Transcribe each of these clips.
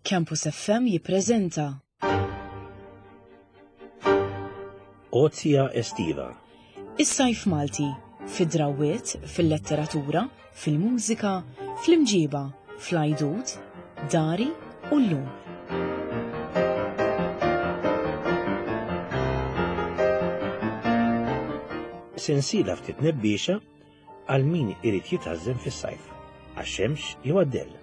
Campus FM jippreżenta. Ozja Estiva. Is-sajf Malti, fid-drawwiet, fil-letteratura, fil-mużika, fl-imġiba, fl-għajdut, dari u llum. Sensiela ftit nebbiexa għal min irid jitgħażżen fis-sajf, għax-xemx jew għad-dell.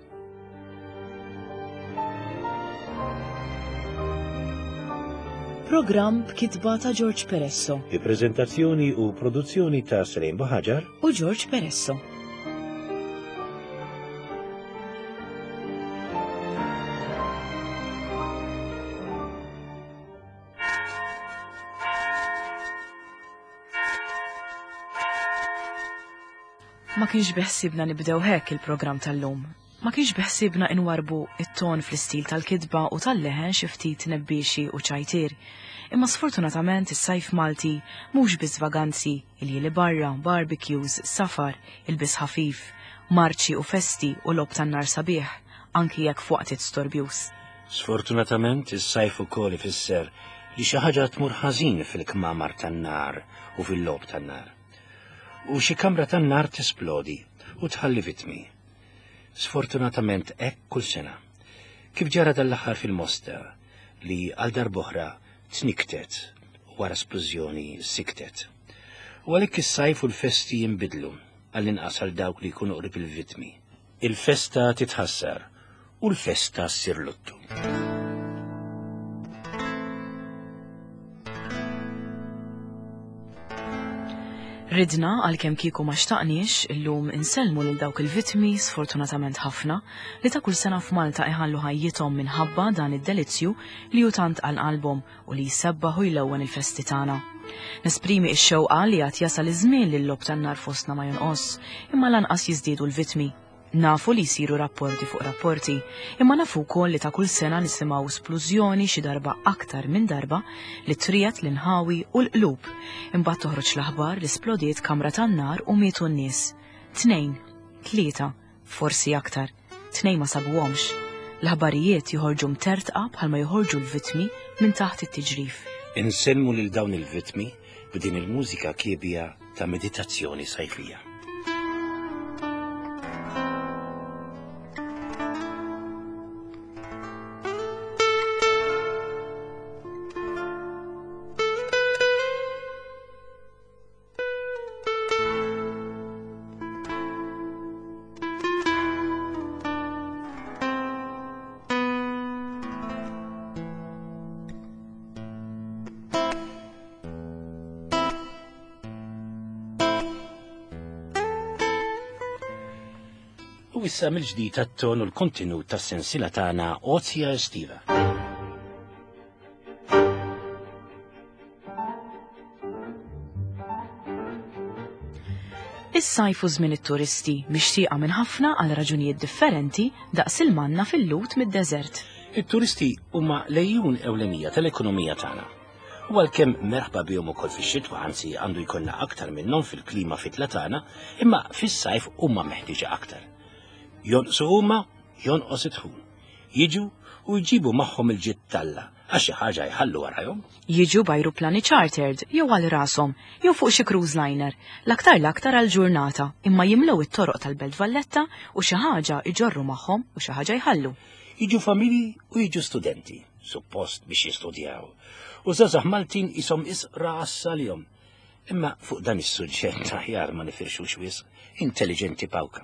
Programm b'kitba ta' George Peresso. Bi preżentazzjoni u produzzjoni ta' Srejn Buħaġar u George Peresso. Ma kienx beħsibna nibdew hekk il-programm tal-lum. Ma kienx beħsibna inwarbu it-ton fl-istil tal-kitba u tal-leħen xi ftit nebbiexi u ċajtier. Imma sfortunatament is-sajf Malti mhux biss vaganzi, iljieli barra, barbecues, safar, ilbies ħafif, marċi u festi u logħob tan-nar sabiħ, anki jekk f'waqtiet storbjuż. Sfortunatament is-sajf ukoll ifisser li xi ħaġa tmur ħażin fil-kmamar tan-nar u fil-logħob tan-nar. U xi kamra tan-nar tisplodi u tħalli vittmi. Sfortunatament hekk kull sena. Kif ġara dal-aħħar fil-Mosta li għal darb'oħra tniktet u wara splużjoni siktet. U għalhekk is-sajf u l-festi jinbidlu għall-inqas għal dawk li jkunu qrib il-vittmi. Il-festa titħassar u l-festa ssir luttu. Ridna għalkemm kieku ma xtaqniex illum insellmu lil dawk il-vittmi sfortunatament ħafna li ta' kull sena f'Malta iħallu ħajjithom minħabba dan id-delizzju li hu tant għal qalbhom u li jsebbaħ u jlewwen il-festi tagħna. Nesprimi x-xewqa li għad jasal iż-żmien li l-logħob tan-nar fostna ma jonqos, imma lanqas jiżdiedu l-vittmi. Nafu li jsiru rapporti fuq rapporti, imma nafu wkoll li ta' kull sena nisimgħu splużjoni xi darba aktar minn darba li triegħed l-inħawi u l-qlub. Imbagħad toħroġ l-aħbar li splodiet kamra tan-nar u mietu n-nies. Tnejn, tlieta, forsi aktar. Tnejn ma sabuhomx. L-aħbarijiet joħorġu mtertqa bħalma joħorġu l-vittmi minn taħt it-tiġrif. Insellmu lil dawn il-vittmi b'din il-mużika kiebja ta' meditazzjoni sajfija. U issa mill-ġdid għat-ton u l-kontenut tas-sensiela tagħna Ozja Estiva. Is-sajf u żmien it-turisti mixtieqa minn ħafna għal raġunijiet differenti daqs il-manna fil-lut mid-deżert. It-turisti huma lejjun ewlenija tal-ekonomija tagħna. U għalkemm merħba bihom ukoll fix-xitwa, anzi għandu jkollna aktar minnhom fil-klima fitla tagħna, imma fis-sajf huma meħtieġa aktar. Jonqsu huma, jonqos id-dħul. Jiġu u jġibu magħhom il-ġid t'Alla għax xi ħaġa jħallu warajhom. Jiġu b'ajruplani chartered jew għal rashom jew fuq xi cruise liner, l-aktar l-aktar għal ġurnata, imma jimlew it-toroq tal-Belt Valletta u xi ħaġa jġorru magħhom u xi ħaġa jħallu. Jiġu familji u jiġu studenti, suppost biex jistudjaw. U żgħażagħ Maltin qishom isqra għassa għalihom. Imma fuq dan is-suġġett aħjar ma nifirxux wisq, intelliġenti pawka.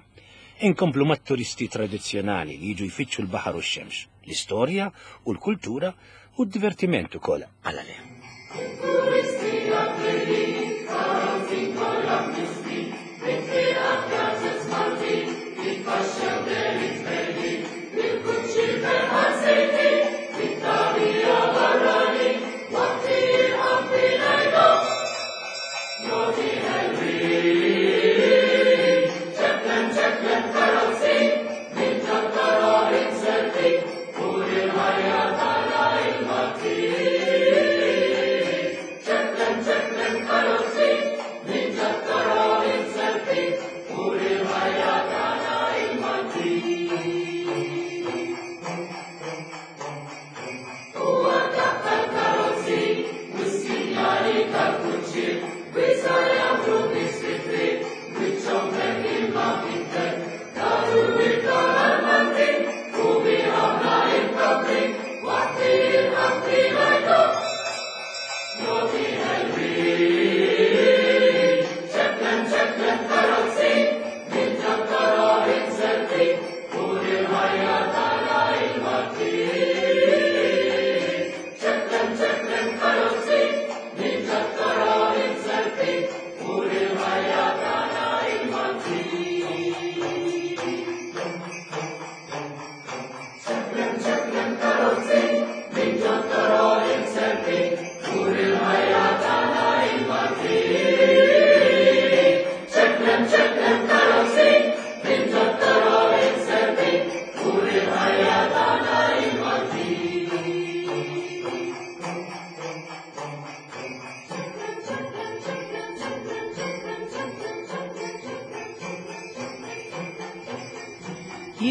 Inkomplu mat-turisti tradizzjonali li jiġu jfittxu l-baħar u x-xemx, l-istorja u l-kultura u d-divertiment ukoll għala le.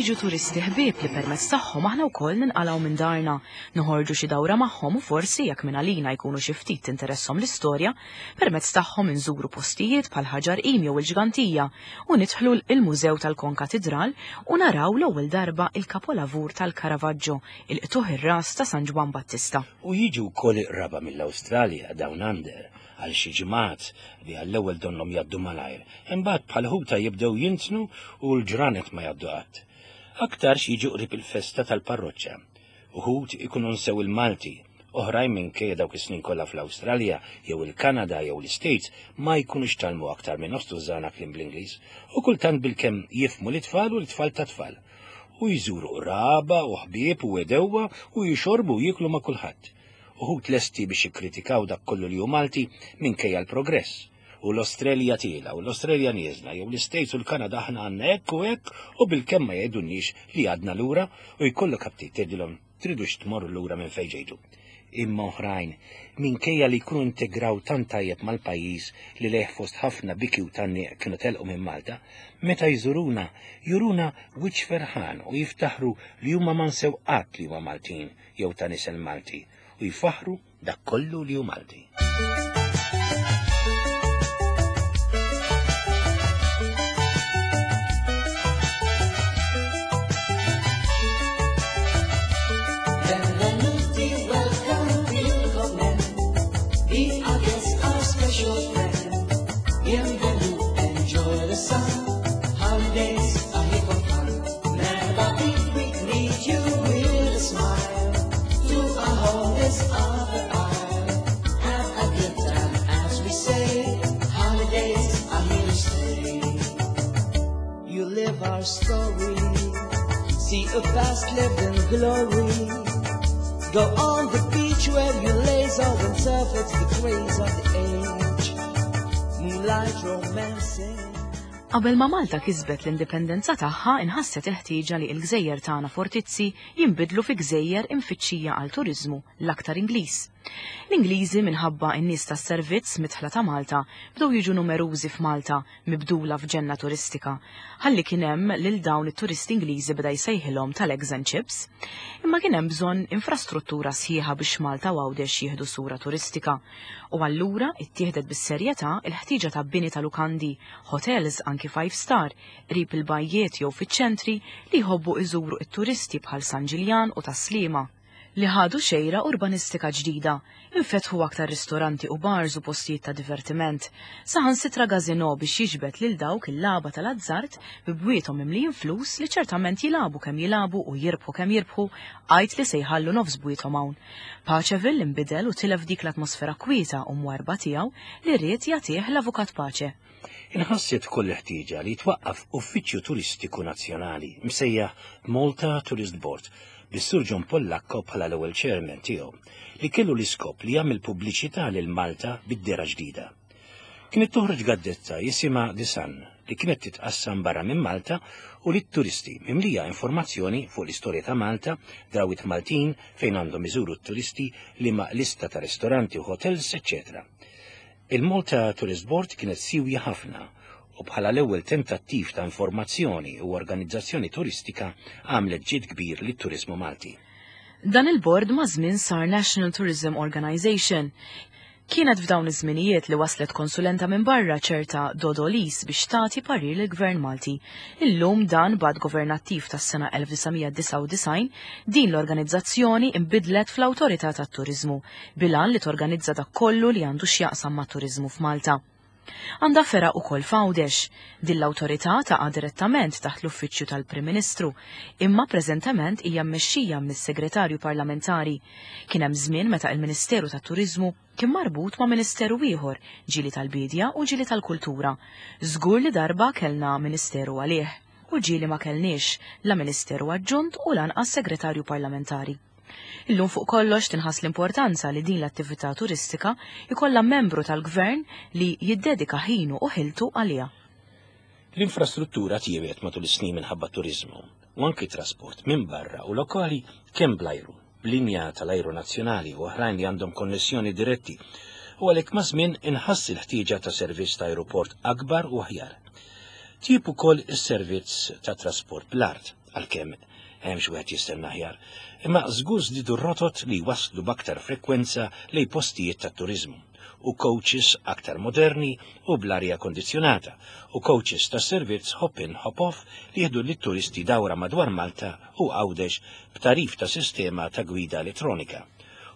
Jiġu turisti ħbieb li permezz tagħhom aħna wkoll ninqalgħu minn darna, noħorġu xi dawra magħhom u forsi jekk minn għalina jkunu xi ftit tinteresshom l-istorja, permezz tagħhom inżuru postijiet bħal Ħaġar Qim jew il-Ġgantija u nidħlu l-Mużew tal-Konkatidral u naraw l-ewwel darba il-kapolavur tal-Caravaggio, il-Qtugħ ir-Ras ta' San Ġwann Battista. U jiġu wkoll iqraba mill-Awstralja, Down Under, għal xi ġimgħat li għall-ewwel donnhom jgħaddu malajr, imbagħad bħal ħuta jibdew jintnu u l-ġranet ma jgħaddu qatt. Aktarx jiġu qrib il-festa tal-parroċċa. Uħud ikunu nsew il-Malti, oħrajn minkejja dawk is-snin kollha fl-Awstralja jew il-Kanada jew l-Istates ma jkunux tgħallmu aktar minn nofs tużżana kliem bl-Ingliż u kultant bilkemm jifhmu lit-tfal u l-tfal tat-tfal. U jżuru qraba u ħbieb u għedewwa u jixorbu u jieklu ma' kulħadd. Uħud lesti biex jikkritikaw dak kollu li hu Malti minkejja l-progress. U l-Australja tiela u l-Australja nieżla jew l-Istates u l-Kanada aħna għandna hekk u hekk u bilkemm ma jgħidulniex li għadna lura u jkollok aptit tgħidilhom tridux tmorru lura minn fejn ġejtu. Imma oħrajn, minkejja li jkunu integraw tant tajjeb mal-pajjiż li lejh fost ħafna biki u tgħanniq kienu telqu minn Malta, meta jżuruna, juruna wiċċ ferħan u jiftaħru li huma ma nsew qatt li huma Maltin jew ta' nisel Malti u jfaħħru dak kollu li hu Malti. Benvenuti, welcome, willkommen. Be our guest, our special friend. Bienvenue, enjoy the sun. Holidays are here for fun. Merhaba, we greet you with a smile. To our home, this other isle. Have a good time, as we say. Holidays are here to stay. You live our story. See a past lived in glory. Go on the beach where you laze all and surf, it's the craze of the age. Moonlight romancing. Qabel ma Malta kisbet l-indipendenza tagħha inħasset il-ħtieġa li l-gżejjer tagħna fortizzi jinbidlu fi gżejjer imfittxija għal turiżmu l-aktar Ingliż. L-Ingliżi minħabba n-nies tas-servizz midħla ta' Malta bdew jiġu numerużi f'Malta mibdula f'ġenna turistika. Ħalli kien hemm lil dawn it-turisti Ingliżi beda jsejħilhom tal-eggs and chips. Imma kien hemm bżonn infrastruttura sħiħa biex Malta u Għawdex jieħdu sura turistika. U allura ittieħdet bis-serjetà il-ħtieġa ta' bini ta' lukandi, hotels anki five star, qrib il-bajjiet jew fiċ-ċentri li jħobbu iżuru it-turisti bħal San Ġiljan u Tas-Sliema. Li ħadu xejra urbanistika ġdida, infetħu aktar ristoranti u bars u postijiet ta' divertiment, saħansitra gazino biex jiġbed lil dawk il-lagħba tal-azzard bi bwiethom mimlijin flus li ċertament jilagħbu kemm jilagħbu u jirbħu kemm jirbħu għajt li se jħallu nofs bwiethom hawn. Paceville inbidel u tilef dik l-atmosfera kwieta u mwarba tiegħu li ried jagħtih l-Avukat Pace. Inħasset ukoll il-ħtieġa li jitwaqqaf uffiċċju turistiku nazzjonali msejjaħ Malta Tourist Board bis-Sur John Pollacco bħala l-ewwel chairman tiegħu li kellu l-iskop li jagħmel pubbliċità lil Malta bid-dehra ġdida. Kienet toħroġ gazzetta jisimha The Sun li kienet titqassam barra minn Malta u lit-turisti mimlija informazzjoni fuq l-istorja ta' Malta, drawwiet Maltin fejn għandhom iżuru t-turisti, liema lista ta' ristoranti u hotels, eċċetera. Il-Malta Tourist Board kienet siwja ħafna u bħala l-ewwel tentattiv ta' informazzjoni u organizzazzjoni turistika għamlet ġid kbir lit-turiżmu Malti. Dan il-bord maż-żmien sar National Tourism Organization. Kienet f'dawn iż-żminijiet li waslet konsulenta minn barra ċerta Dodo Lis biex tagħti parir lill-Gvern Malti. Illum dan b'att governattiv tas-sena 1999 din l-organizzazzjoni inbidlet fl-Awtorità tat-Turiżmu bil-għan li torganizza dak kollu li għandu x'jaqsam mat-turiżmu f'Malta. Għandha fergħa ukoll f'Għawdex. Din l-awtorità taqa' direttament taħt l-Uffiċċju tal-Prim Ministru, imma preżentement hija mmexxija mis-Segretarju Parlamentari. Kien hemm żmien meta il-Ministeru tat-Turiżmu kien marbut ma' ministeru ieħor, ġieli tal-Biedja u ġieli tal-Kultura. Żgur li darba kellna ministeru għalih, u ġieli ma kellniex la ministeru aġġunt u lanqas segretarju parlamentari. Illum fuq kollox tinħass l-importanza li din l-attività turistika jkollha membru tal-gvern li jiddedika ħinu u ħiltu għaliha. L-infrastruttura tjiebet matul is-snin minħabba t-turiżmu u anki trasport minn barra u lokali kemm bl-ajru, b'linja tal-ajru nazzjonali u oħrajn li għandhom konnessjoni diretti u għalhekk maż-żmien inħass il-ħtieġa ta' servizz ta' ajruport akbar u aħjar. Tjieb ukoll is-servizz ta' trasport bl-art. Għalkemm hemm xi wieħed jistenna aħjar, imma żgur żdiedu r-rotot li jwasslu b'aktar frekwenza lejn postijiet tat-turiżmu u coaches aktar moderni u bl-arja kondizzjonata u coaches ta' servizz hop in hop off li jieħdu lit-turisti dawra madwar Malta u Għawdex b'tagħrif ta' sistema ta' gwida elettronika.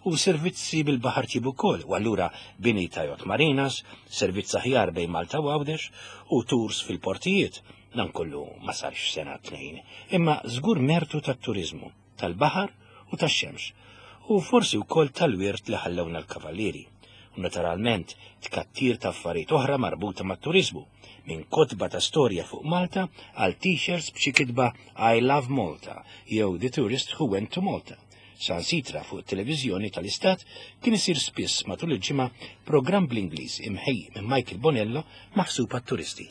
U servizzi bil-baħar tjiebu wkoll u allura bini ta' yacht marinas, servizz aħjar bejn Malta u Għawdex u tours fil-portijiet. Dan kollu ma sarx f'sena tnejn, imma żgur mertu tat-turiżmu, tal-baħar u tax-xemx, u forsi wkoll tal-wirt li ħallewna l-Kavallieri. U naturalment tkattir ta' affarijiet oħra marbuta mat-turiżmu, minn kotba ta' storja fuq Malta għal t-shirts b'xi kitba I love Malta jew The tourist who went to Malta. Sansitra fuq it-televiżjoni tal-Istat kien isir spiss matul il-ġimgħa programm bl-Ingliż imħejji minn Michael Bonello maħsub għat-turisti.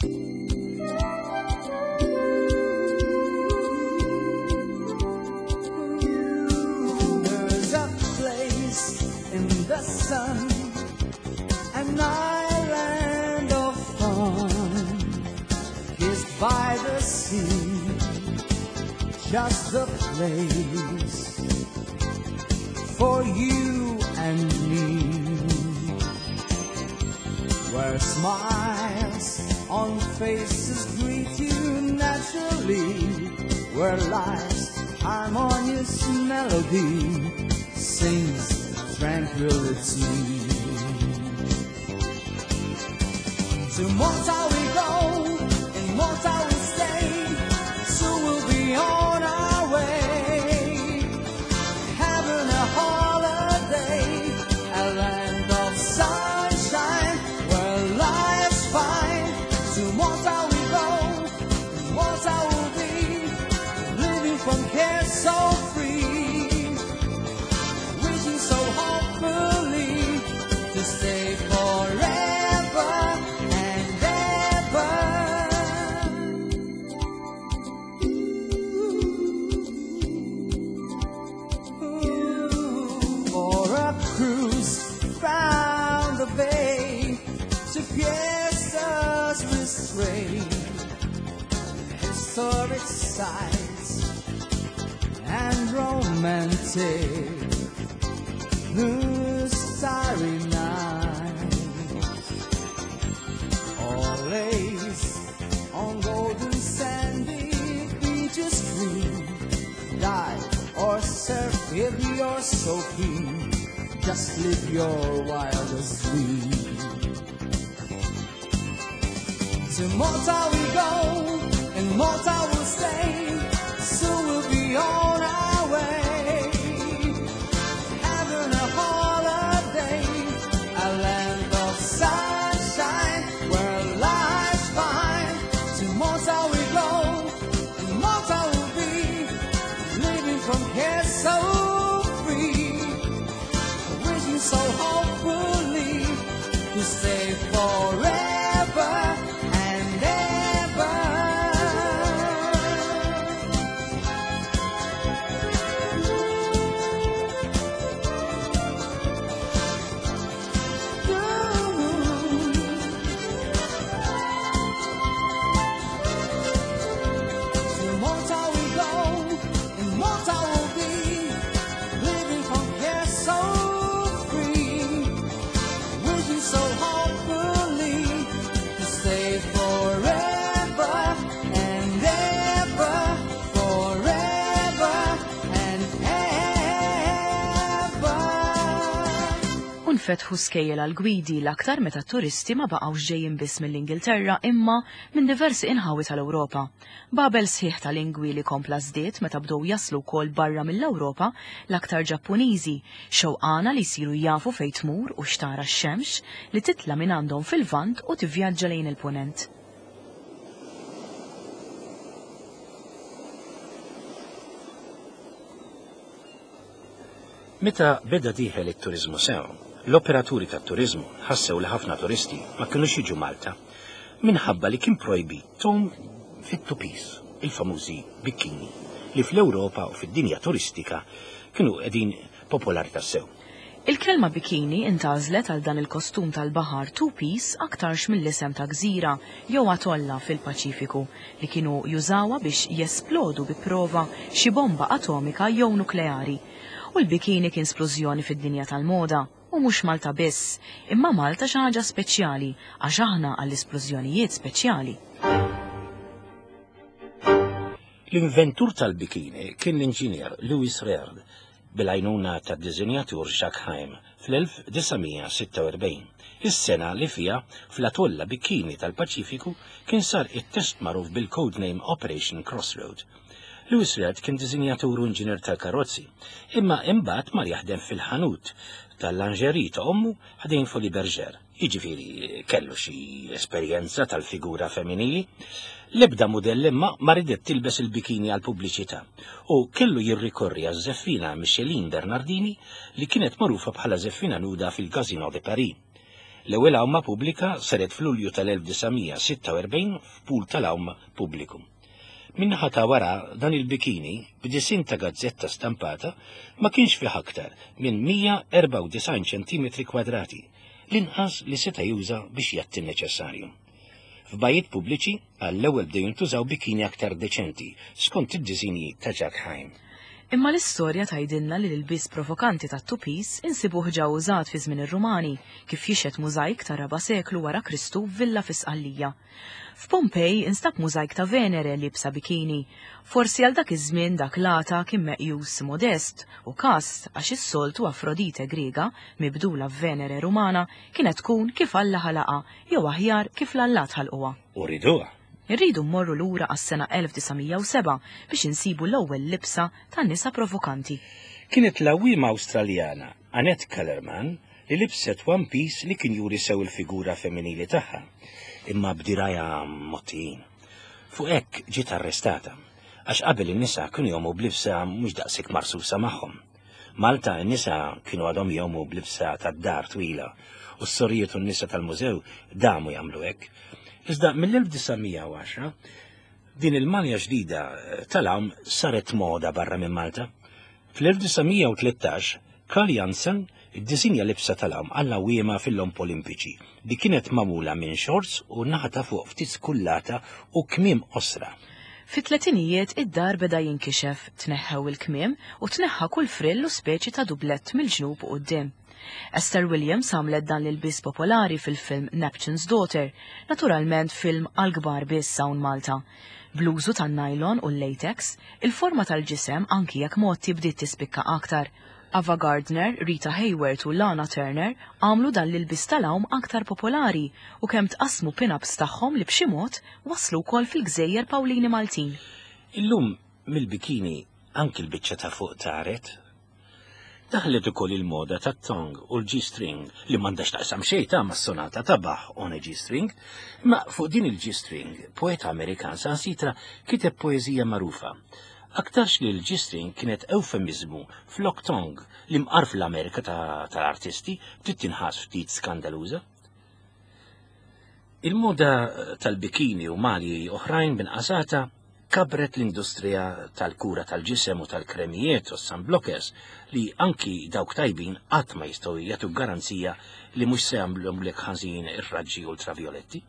There's a place in the sun, an island of fun, kissed by the sea, just the place for you and me, where smiles on faces greet you naturally, where life's harmonious melody sings tranquility. To Malta we go, in Malta we stay, soon we'll be on our way, having a holiday, a land of sunshine, where life's fine. To Malta we go, in Malta we'll be, living from care so free, wishing so hopefully to stay forever and ever. For a cruise round the bay to Fiestas restrain, historic sites and romantic blue starry nights, or lace on golden sandy beaches green, dive or surf if you're so keen, just live your wildest dream. To Malta we go, and Malta we'll stay, soon we'll be on our way, having a holiday, a land of sunshine, where life's fine. To Malta we go, and Malta we'll be, living from here so free, wishing so hopefully to stay forever and ever. To Malta we go, and Malta we'll be, living from here so free, wishing so hopefully to stay forever and ever, forever and ever. U nfetħu skejjel għal gwidi l-aktar meta turisti ma baqgħux ġejjin biss mill-Ingilterra imma minn diversi inħawi tal-Ewropa. Babel sħiħ ta' lingwi li kompla żdied meta bdew jaslu wkoll barra mill-Ewropa l-aktar Ġappuniżi, xewqana li jsiru jafu fejn tmur u xtara x-xemx li titla' minn għandhom fil-Lvant u tivvjaġġa lejn il-Punent. Meta beda dieħel it-turiżmu sew, l-operaturi tat-turiżmu ħassew li ħafna turisti ma kinux jiġu Malta minħabba li kien projbit tgħum fit-two-piece, il-famużi bikini, li fl-Ewropa u fid-dinja turistika kienu qegħdin popolari tassew. Il-kelma bikini intgħażlet għal dan il-kostum tal-baħar two-piece aktarx mill-isem ta' gżira jew atolla fil-Paċifiku li kienu jużawha biex jesplodu bi prova xi bomba atomika jew nukleari. U l-bikini kien splużjoni fid-dinja tal-moda. U mhux Malta biss, imma Malta xi ħaġa speċjali għax aħna għall-isplużjonijiet speċjali. L-inventur tal-bikini kien l-inġinier Louis Réard bil-għajnuna tad-diżinjatur Jacques Heim fl-1946, is-sena li fiha fl-atolla Bikini tal-Paċifiku kien sar it-test magħruf bil-codename Operation Crossroad. Louis Réard kien diżinjatur u inġinier tal-karozzi, imma imbagħad mar jaħdem fil-ħanut tal-lingerie ta' ommu ħdejn Folies Bergère. Jiġifieri kellu xi esperjenza tal-figura femminili. L-ebda mudell imma ma ridet tilbes il-bikini għall-pubbliċità u kellu jirrikorri għaż-żeffina Micheline Bernardini li kienet magħrufa bħala żeffina nuda fil-Casino de Paris. L-ewwel għawma pubblika saret f'Lulju tal-1946 f'pool tal-għawm pubbliku. Min-naħa ta' wara dan il-bikini, b'disinn ta' gazzetta stampata, ma kienx fih aktar minn 194 ċentimetri kwadrati, l-inqas li seta' juża biex jgħatti n-neċessarju. F'bajjiet pubbliċi, għall-ewwel bdew jintużaw bikini aktar deċenti, skont id-disinji ta' Jacques Heim. Imma l-istorja tgħidilna li l-ilbies provokanti tat-two-piece insibuh ġa użat fi żmien ir-Rumani, kif jixhed mużajk tar-raba' seklu wara Kristu f'villa fi Sqallija. F'Pompej instab mużajk ta' Venere liebsa bikini. Forsi għal dak iż-żmien dak l-għata kien meqjus modest u kast għax is-soltu Afrodite Griega, mibdula f'Venere Rumana, kienet tkun kif Alla ħalaqha jew aħjar kif l-allat ħalquha. U riduha. Irridu mmorru lura għas-sena 1907 biex insibu l-ewwel libsa ta' nisa provokanti. Kienet l-għawwiema Awstraljana Annette Kellerman li libset one piece li kien juri sew il-figura femminili tagħha, imma b'dirgħajha mgħottijin. Fuq hekk ġiet arrestata, għax qabel in-nisa kienu jgħumu b'libsa mhux daqshekk marsusa magħhom. Malta n-nisa kienu għadhom jgħumu b'libsa tad-dar twila u s-sorijiet u n-nisa tal-mużew damu jagħmlu hekk. Iżda mill-1910 din il-malja ġdida tal-għawm saret moda barra minn Malta. Fl-1913 Karl Jansen iddisinja libsa tal-għawm għall-għawwiema fil-Logħob Olimpiċi li kienet magħmula minn xorts u naħa ta' fuq ftit skullata u kmiem qosra. Fit-tletinijiet id-dar beda jinkixef, tneħħew il-kmiem u tneħħa kull frill u speċi ta' dublett mill-ġnub u quddiem. Esther Williams għamlet dan l-ilbies popolari fil-film Neptune's Daughter, naturalment film għall-kbar biss hawn Malta. Bl-użu tan-nylon u l-latex, il-forma tal-ġisem anki jekk mgħotti bdiet tispikka aktar. Ava Gardner, Rita Hayworth u Lana Turner għamlu dan l-ilbies tal-għawm aktar popolari u kemm tqassmu pin-ups tagħhom li b'xi mod waslu wkoll fil-gżejjer Pawlini Maltin. Illum mill-bikini anki l-biċċa ta' fuq taret. Daħlet ukoll il-moda tat-thong u l-G-string li m'għandha x'taqsam xejn ta' mas-sonata ta' Bach on a G-string, imma fuq din il-G-string poeta Amerikan saħansitra kiteb poeżija magħrufa. Aktarx li l-G-string kienet ewfemiżmu flok thong li mqar fl-Amerika tal-artisti bdiet tinħass ftit skandaluża. Il-moda tal-bikini u malji oħrajn b'inqasata kabbret l-industrija tal-kura tal-ġisem u tal-kremijiet u sunblockers li anki dawk tajbin qatt ma jistgħu jagħtu garanzija li mhux se jagħmlulek ħażin ir-raġġi ultravjoletti.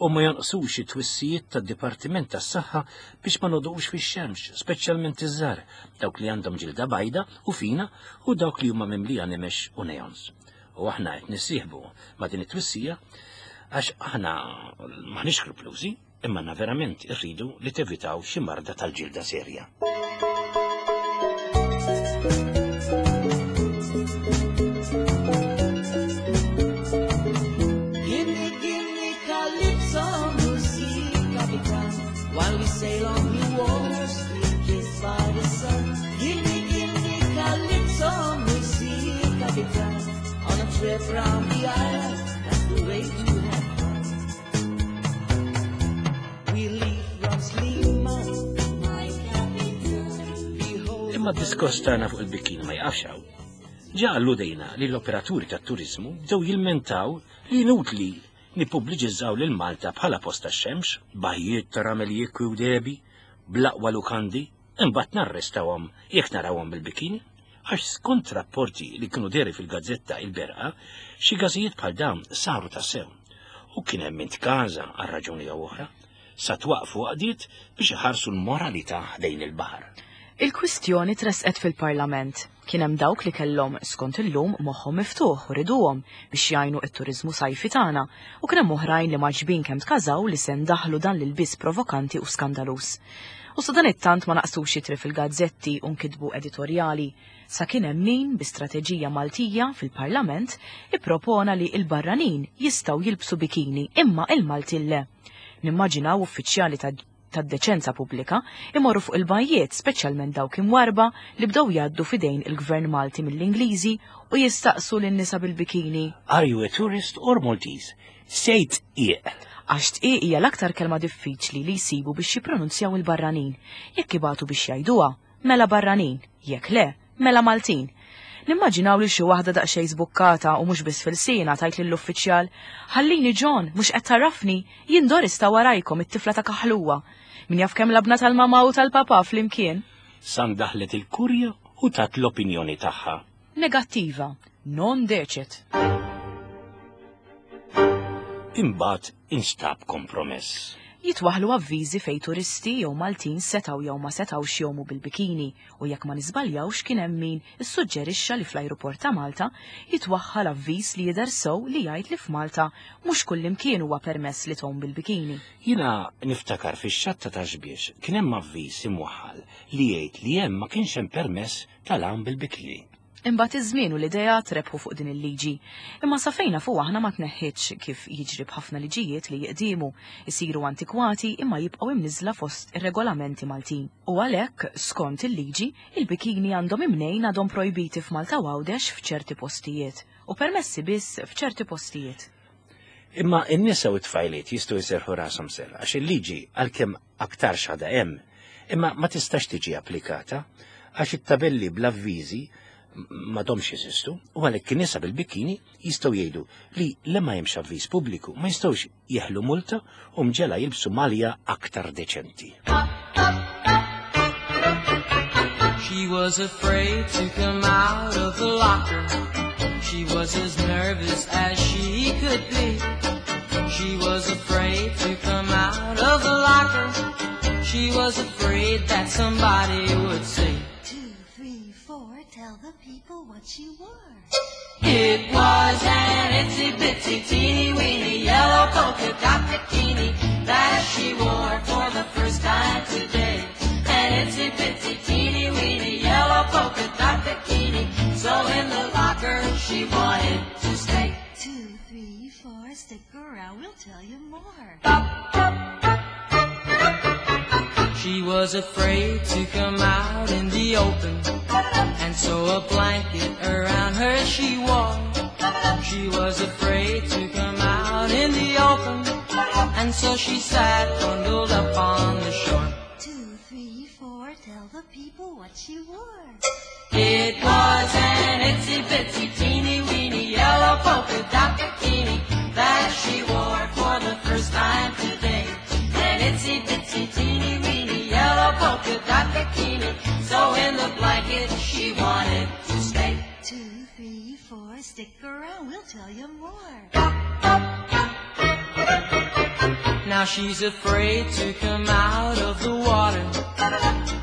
U ma jonqsux it-twissijiet tad-Dipartiment tas-Saħħa biex ma nodqux fix-xemx, speċjalment iż-żgħar, dawk li għandhom ġilda bajda u fina u dawk li huma mimlija nimex u neons. U aħna qed nissieħbu ma' din it-twissija għax aħna maħniex skruplużi, imma aħna verament irridu li tevitaw xi marda tal-ġilda serja. Imma d-diskors tagħna fuq il-bikini ma jaqafx hawn. Ġa alludejna li l-operaturi tat-turiżmu bdew jilmentaw li inutli nippubbliċizzaw lil Malta bħala post tax-xemx, bajjiet ta' ramel jikwi u dehbi, bl-aqwa lukandi, imbagħad narrestawhom jekk narawhom bil-bikini. Għax skont rapporti li kienu deri fil-gazzetta Il-Berqa, xi każijiet bħal dawn saru tassew. U kien hemm min tkaża għal raġuni jew oħra, sa twaqqfu għaqdiet biex iħarsu l-moralità ħdejn il-baħar. Il-kwistjoni tressqet fil-Parlament. Kien hemm dawk li kellhom, skont illum, moħħhom miftuħ u riduhom biex jgħinu t-turiżmu sajfi tagħna u kien hemm oħrajn li mgħaġġbin kemm tkażaw li se ndaħħlu dan l-ilbies provokanti u skandaluż. U sadanittant ma naqsux ittri fil-gazzetti u nkitbu editorjali. Sa kien hemm min, bi strateġija Maltija fil-Parlament, ippropona li l-barranin jistgħu jilbsu bikini imma il-Maltin le. Nimmaġinaw uffiċjali ta' tad-deċenza pubblika imorru fuq il-bajjiet, speċjalment dawk imwarrba li bdew jgħaddu f'idejn il-Gvern Malti mill-Ingliżi u jistaqsu lin-nisa bil-bikini. Are you a tourist or Maltese? Say tqieq. Għax tqieq hija l-aktar kelma diffiċli li jsibu biex jippronunzjaw il-barranin. Jekk ibatu biex jgħiduha, mela barranin, jekk le, mela Maltin. Nimmaġinaw lil xi waħda daqsxejn żbukkata u mhux biss f'ilsienha tgħid lill-uffiċjal, Ħallini John, mhux qed tagħrafni, jien Doris ta' warajkom it-tifla ta' Kaħluwa. Min jaf kemm labna tal-mamà u tal-papà flimkien. Sa ndaħlet il-kurja u tat l-opinjoni tagħha. Negattiva. Non decet. Imbagħad instab kompromess. Jitwaħħlu avviżi fejn turisti jew Maltin setgħu jew ma setgħux jgħumu bil-bikini u jekk ma niżbaljawx kien hemm min issuġġerixxa li fl-ajruport ta' Malta jitwaħħal avviż li jidher sew li jgħid li f'Malta mhux kullimkien huwa permess li tgħum bil-bikini. Jiena niftakar fix-xatt ta' Ta' Xbiex kien hemm avviż imwaħħal li jgħid li hemm ma kienx hemm permess tal-għawm bil-bikini. Imbagħad iż-żmien u l-ideat rebħu fuq din il-liġi. Imma sa fejn nafu aħna ma tneħħitx, kif jiġri b'ħafna liġijiet li jiqdiemu, isiru antikwati imma jibqgħu imniżżla fost ir-regolamenti Maltin. U għalhekk, skont il-liġi, il-bikini għandhom imnejn għadhom projbiti f'Malta u Għawdex f'ċerti postijiet, u permessi biss f'ċerti postijiet. Imma n-nisa u t-tfajliet jistgħu jserrħu rashom sew għax il-liġi għalkemm aktarx għadha hemm, imma ma tistax tiġi applikata għax it-tabelli bl-avviżi m'għadhomx jeżistu u għalhekk in-nisa bil-bikini jistgħu jgħidu li le ma hemmx avviż pubbliku ma jistgħux jeħlu multa u mġela jilbsu malja aktar deċenti. She was afraid to come out of the locker. She was as nervous as she could be. She was afraid to come out of the locker. She was afraid that somebody would see. 2, 3, 4, tell the people what she wore. It was an itsy bitsy teeny weeny yellow polka dot bikini that she wore for the first time today. An itsy bitsy teeny weeny yellow polka dot bikini. So in the locker she wanted to stay. 2, 3, 4, stick around, we'll tell you more. She was afraid to come out in the open, and so a blanket around her she wore. She was afraid to come out in the open, and so she sat bundled up on the shore. 2, 3, 4, tell the people what she wore. It was an itsy bitsy teeny weeny yellow polka dot bikini that she wore for the first time today. An itsy bitsy teeny weeny yellow polka dot bikini. So in the blanket she wanted to stay. 2, 3, 4, stick around, we'll tell you more. Now she's afraid to come out of the water,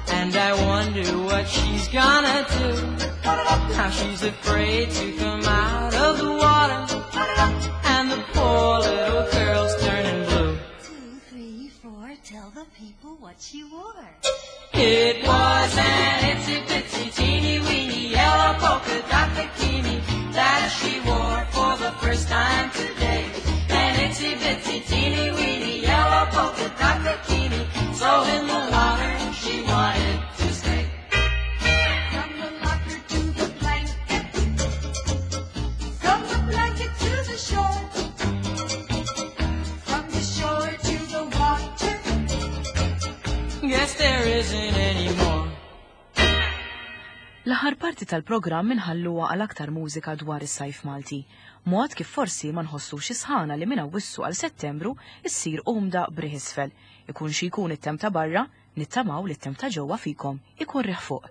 and I wonder what she's gonna do. Now she's afraid to come out of the water, and the poor little girl's turning blue. 2, 3, 4, tell the people what she wore. It was an itsy bitsy teeny weeny yellow polka dot bikini that she wore for the first time today. An itsy bitsy teeny weeny yellow polka dot bikini. So in the water she wanted to stay. From the locker to the blanket, from the blanket to the shore, from the shore to the water. Guess there isn't any more. L-aħħar parti tal-programm inħalluha għal aktar mużika dwar is-sajf Malti. Mod kif forsi ma nħossux is-sħana li minn Awwissu għal Settembru issir umda b'riħ isfel. Ikun xi jkun it-temp ta' barra, nittamaw li t-temp ta' ġewwa fikom ikun riħ fuq.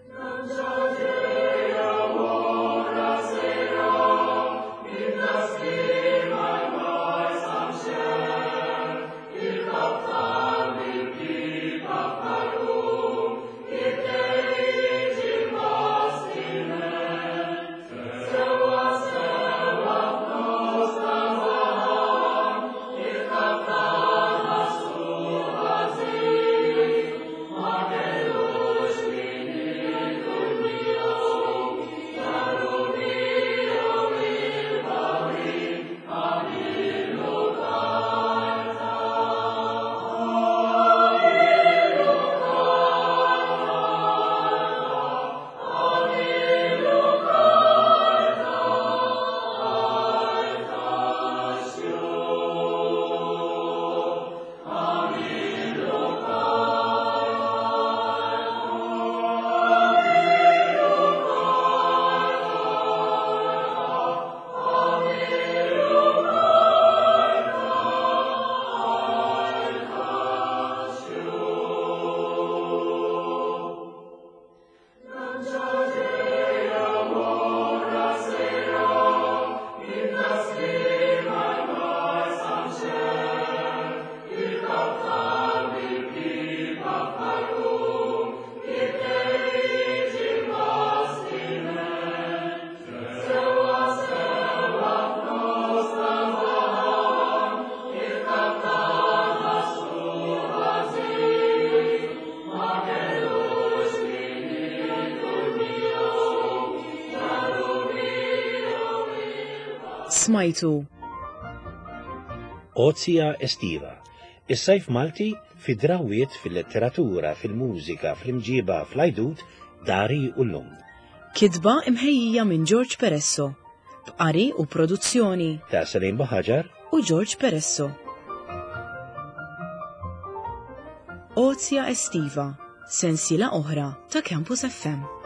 Smajtu. Ozja Estiva, is-sajf Malti fi drawiet fil-letteratura, fil-mużika, fl-imġiba, fl-għajdut, dari u llum. Kitba imħejjija minn George Peresso. B'qari u produzzjoni Ta' Salim Buħaġar u George Peresso. Ozja Estiva, sensiela oħra ta' Campus FM.